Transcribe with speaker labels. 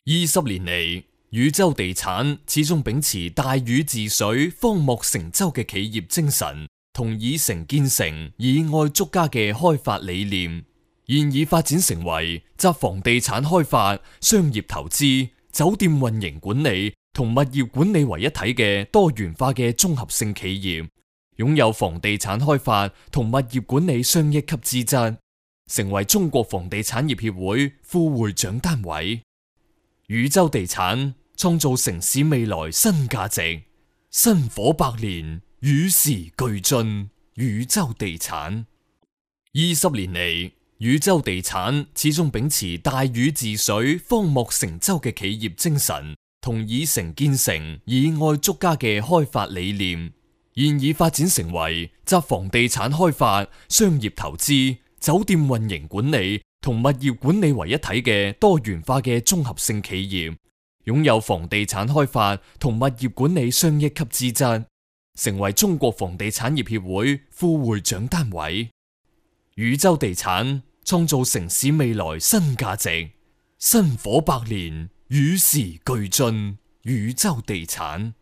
Speaker 1: 20年嚟，宇宙地產始終秉持大禹治水、方莫成舟嘅企業精神，同以誠建誠、以愛足家嘅開發理念，現已發展成為集房地產開發、商業投資、酒店運營管理同物業管理為一體嘅多元化嘅綜合性企業，擁有房地產開發同物業管理雙一級資質，成為中國房地產業協會副會長單位。宇宙地產創造城市未來新價值，薪火百年，與時俱進。宇宙地產20年嚟，宇宙地產始終秉持大禹治水、方莫成舟嘅企業精神，同以誠建誠、以愛足家嘅開發理念，現已發展成為集房地產開發、商業投資、酒店運營管理同物業管理為一體嘅多元化嘅綜合性企業，擁有房地產開發同物業管理雙一級資質，成為中國房地產業協會副會長單位。宇宙地產創造城市未來新價值，薪火百年，與時俱進。宇宙地產。